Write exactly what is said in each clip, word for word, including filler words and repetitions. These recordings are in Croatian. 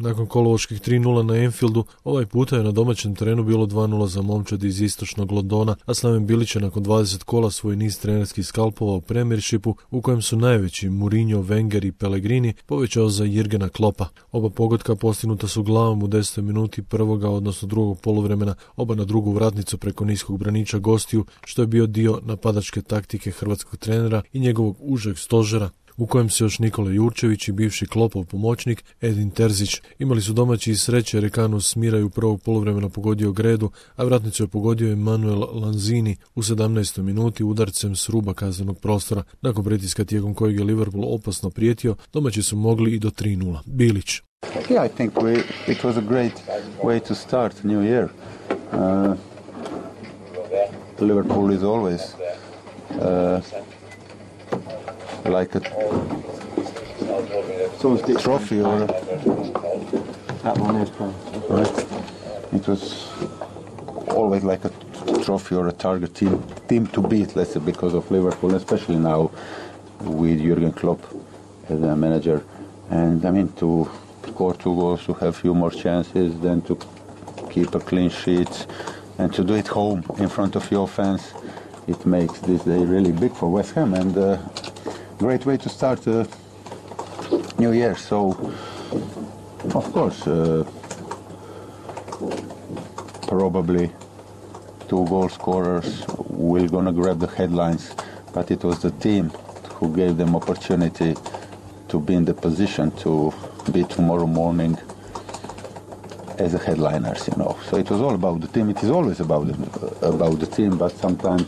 Nakon kolovoških tri nula na Anfieldu, ovaj puta je na domaćem terenu bilo dva nula za momčad iz istočnog Londona, a Slaven Bilić je nakon dvadeset kola svoj niz trenerskih skalpova u Premiershipu, u kojem su najveći Mourinho, Wenger i Pellegrini, povećao za Jurgena Kloppa. Oba pogotka postignuta su glavom u desetoj minuti prvoga, odnosno drugog poluvremena, oba na drugu vratnicu preko niskog braniča gostiju, što je bio dio napadačke taktike hrvatskog trenera i njegovog užeg stožera, u kojem se još Nikola Jurčević i bivši Kloppov pomoćnik Edin Terzić. Imali su domaći i sreće jer je Kanus Smiraju prvog poluvremena pogodio Gredu, a vratnicu je pogodio Emanuel Lanzini u sedamnaestoj minuti udarcem s ruba kaznenog prostora. Nakon pritiska tijekom kojeg je Liverpool opasno prijetio, domaći su mogli i do tri nula. Bilić. Yeah, I think we, it was a great way to start new year. Uh, Liverpool is always uh, like a trophy or a, that one is right. It was always like a trophy or a target team team to beat, let's say, because of Liverpool, especially now with Jurgen Klopp as a manager. And I mean, to score two goals, to have few more chances, then to keep a clean sheet and to do it home in front of your fans, it makes this day really big for West Ham and uh, great way to start a new year. So, of course, uh, probably two goal scorers will gonna grab the headlines, but it was the team who gave them opportunity to be in the position to be tomorrow morning as a headliners, you know. So it was all about the team. It is always about the, about the team, but sometimes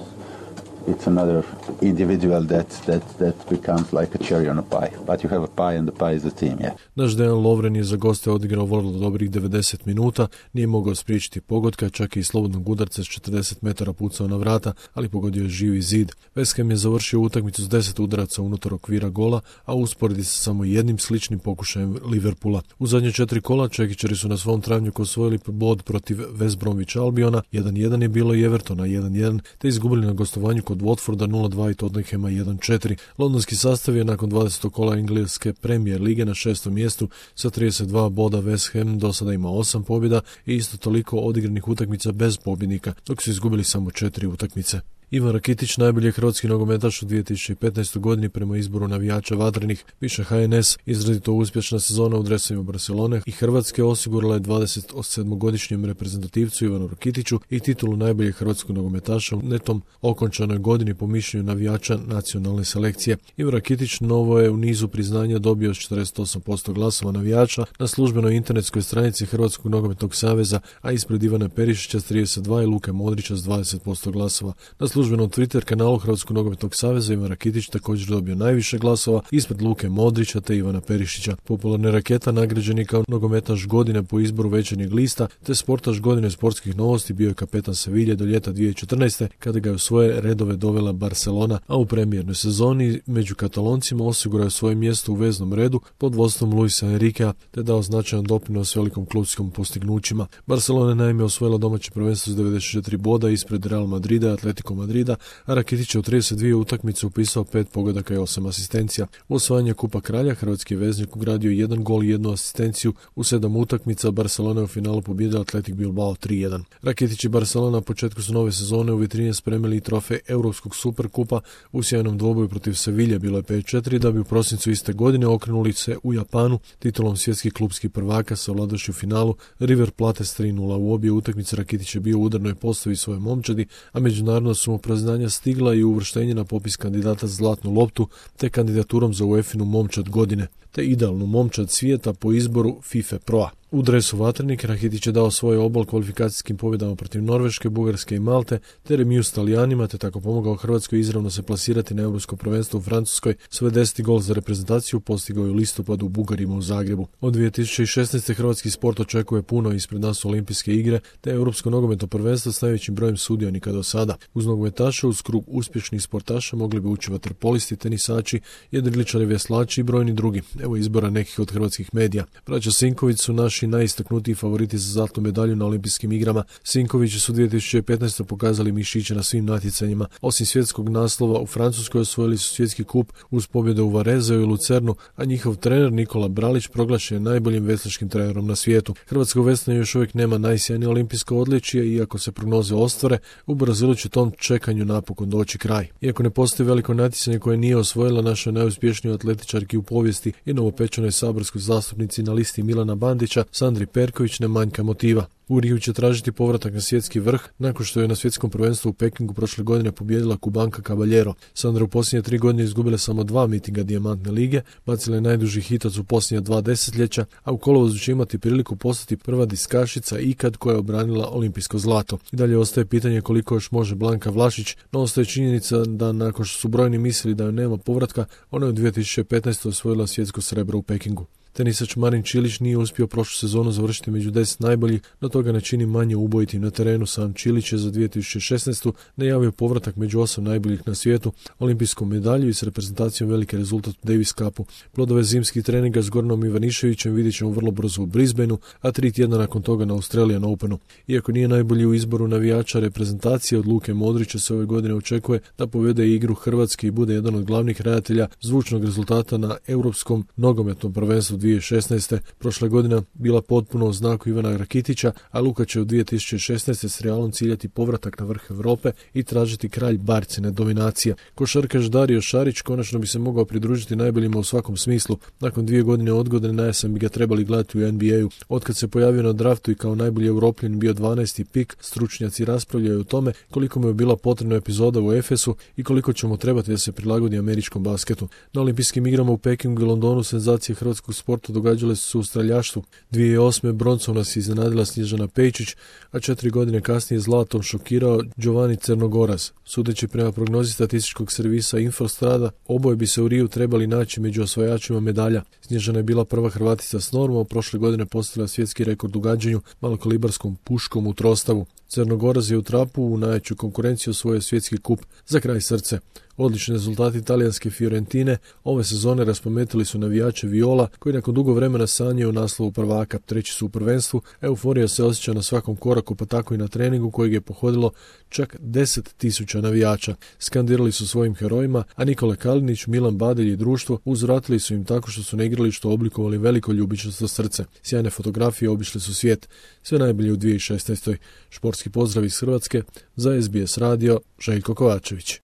it's another individual that, that, that becomes like a cherry on a pie. But you have a pie and the pie is the team, yeah. Naš Dejan Lovren je za goste odigrao vrlo dobrih devedeset minuta, nije mogao spriječiti pogotka, čak i iz slobodnog udarca s četrdeset metara pucao na vrata, ali pogodio je živi zid. West Ham je završio utakmicu s deset udaraca unutar okvira gola, a usporedi se samo jednim sličnim pokušajem Liverpoola. U zadnje četiri kola čekićari su na svom travnjaku osvojili bod protiv West Bromwich Albiona, jedan jedan je bilo i Evertona jedan jedan, te izgubili na gostovanju kod Watforda nula dva i Tottenhama jedan četiri. Londonski sastav je nakon dvadesetog kola engleske Premier lige na šestom mjestu sa trideset dva boda. West Ham do sada ima osam pobjeda i isto toliko odigranih utakmica bez pobjednika, dok su izgubili samo četiri utakmice. Ivan Rakitić, najbolji hrvatski nogometaš u dvije tisuće petnaestoj godini prema izboru navijača Vatrenih, piše H N S. Izrazito uspješna sezona u dresovima Barcelone i Hrvatske osigurala je dvadeset sedmogodišnjem reprezentativcu Ivanu Rakitiću i titulu najboljeg hrvatskog nogometaša u netom okončanoj godini po mišljenju navijača nacionalne selekcije. Ivan Rakitić novo je u nizu priznanja dobio četrdeset osam posto glasova navijača na službenoj internetskoj stranici Hrvatskog nogometnog saveza, a ispred Ivana Perišića s trideset dva i Luke Modrića s dvadeset posto glasova. Na službenom Twitter kanalu Hrvatskog nogometnog saveza Ivan Rakitić također dobio najviše glasova ispred Luke Modrića te Ivana Perišića. Popularna Raketa nagrađen je kao nogometaš godine po izboru Večernjeg lista te sportaš godine sportskih novosti, bio je kapetan Sevilje do ljeta dvije tisuće četrnaeste kada ga je u svoje redove dovela Barcelona, a u premijernoj sezoni među Kataloncima osigurao je svoje mjesto u veznom redu pod vodstvom Luisa Enriquea te dao značajan doprinos velikom klubskim postignućima. Barcelona je naime osvojila domaće prvenstvo s devedeset četiri boda ispred Real Madrida i Atletico Madrida, a Rakitić je u trideset dvije utakmice upisao pet pogodaka i osam asistencija. U osvajanje Kupa Kralja hrvatski veznik ugradio jedan gol i jednu asistenciju u sedam utakmica. Barcelona je u finalu pobijedila Athletic Bilbao tri jedan. Rakitić i Barcelona na početku su nove sezone u vitrine spremili i trofej Europskog superkupa u sjajnom dvoboju protiv Sevilje, bilo je pet četiri, da bi u prosincu iste godine okrenuli se u Japanu titulom svjetskih klubskih prvaka sa ovladavši u finalu River Plate s tri nula. U obje utakmice Rakitić je bio u udarnoj postavi svoje momčadi, a međunarodno su mu priznanja stigla i uvrštenje na popis kandidata za zlatnu loptu te kandidaturom za UEFA-inu momčad godine te idealnu momčad svijeta po izboru FIFA Proa. U dresu Vatrenik Rakitić je dao svoj obol kvalifikacijskim pobjedama protiv Norveške, Bugarske i Malte te remiju s Talijanima te tako pomogao Hrvatskoj izravno se plasirati na europsko prvenstvo u Francuskoj. Svoj deseti gol za reprezentaciju postigao je u listopadu u Bugarima u Zagrebu. Od dvije tisuće šesnaeste hrvatski sport očekuje puno, ispred nas olimpijske igre te europsko nogometno prvenstvo s najvećim brojem sudionika do sada. Uz nogometaša uz krug uspješnih sportaša mogli bi ući vaterpolisti, tenisači, jedriličari, veslači i brojni drugi. Evo izbora nekih od hrvatskih medija. Braća Sinković su naši naši najistaknutiji favoriti za zlatnu medalju na olimpijskim igrama. Sinkovići su dvije tisuće petnaeste. pokazali mišiće na svim natjecanjima. Osim svjetskog naslova u Francuskoj osvojili su svjetski kup uz pobjede u Varezeu i Lucernu, a njihov trener Nikola Bralić proglašen je najboljim veslačkim trenerom na svijetu. Hrvatsko veslanje još uvijek nema najsjajnije olimpijsko odličje, iako se prognoze ostvare, u Brazilu će tom čekanju napokon doći kraj. Iako ne postoji veliko natjecanje koje nije osvojila naša najuspješnija atletičarki u povijesti i novopečenoj saborskoj zastupnici na listi Milana Bandića, Sandri Perković ne manjka motiva. U Riju će tražiti povratak na svjetski vrh nakon što je na svjetskom prvenstvu u Pekingu prošle godine pobijedila Kubanka Caballero. Sandra u posljednje tri godine izgubila samo dva mitinga Dijamantne lige, bacila je najduži hitac u posljednja dva desetljeća, a u kolovozu će imati priliku postati prva diskašica ikad koja je obranila olimpijsko zlato. I dalje ostaje pitanje koliko još može Blanka Vlašić, no ostaje činjenica da nakon što su brojni mislili da joj nema povratka, ona je u dvije tisuće petnaeste. osvojila svjetsko srebro u Pekingu. Tenisač Marin Čilić nije uspio prošlu sezonu završiti među deset najboljih, no toga ne čini manje ubojitim na terenu. Sam Čilić je za dvije tisuće šesnaeste. najavio povratak među osam najboljih na svijetu, olimpijsku medalju i s reprezentacijom veliki rezultat u Davis Cupu. Plodove zimskih treninga s Goranom Ivaniševićem vidjet ćemo vrlo brzo u Brisbaneu, a tri tjedna nakon toga na Australian Openu. Iako nije najbolji u izboru navijača reprezentacije, od Luke Modrića se ove godine očekuje da povede igru Hrvatske i bude jedan od glavnih redatelja zvučnog rezultata na Europskom nogometnom prvenstvu dvije tisuće šesnaeste. Prošla godina bila potpuno u znaku Ivana Rakitića, a Luka će u dvije tisuće šesnaeste. s Realom ciljati povratak na vrh Europe i tražiti kralj barcine dominacije. Košarkaš Dario Šarić konačno bi se mogao pridružiti najboljima u svakom smislu. Nakon dvije godine odgode na jesen bi ga trebali gledati u N B A-u. Otkad se pojavio na draftu i kao najbolji Europljan bio dvanaesti pik, stručnjaci raspravljaju o tome koliko mu je bila potrebna epizoda u Efesu i koliko će mu trebati da se prilagodi američkom basketu. Na olimpijskim igrama u Pekingu i Londonu senzacije hrvatskog sporta događale su se u streljaštvu. dvije tisuće osme. broncom nas iznenadila Snježana Pejčić, a četiri godine kasnije zlatom šokirao Giovanni Crnogoraz. Sudeći prema prognozi statističkog servisa Infostrada, oboje bi se u Riju trebali naći među osvajačima medalja. Snježana je bila prva Hrvatica s normom, prošle godine postavila svjetski rekord u gađanju malokalibarskom puškom u trostavu. Crnogoraz je u trapu u najjaču konkurenciju osvojio svjetski kup. Za kraj srce. Odlični rezultati talijanske Fiorentine ove sezone raspametili su navijače Viola, koji nakon dugo vremena sanjaju o naslovu prvaka. Treći su u prvenstvu, euforija se osjeća na svakom koraku, pa tako i na treningu kojeg je pohodilo čak deset tisuća navijača. Skandirali su svojim herojima, a Nikola Kalinić, Milan Badelj i društvo uzvratili su im tako što su na igralištu oblikovali veliko ljubičasto srce. Sjajne fotografije obišle su svijet. Sve najbolje u dvije tisuće šesnaeste. Športski pozdrav iz Hrvatske, za S B S radio, Željko Kovačević.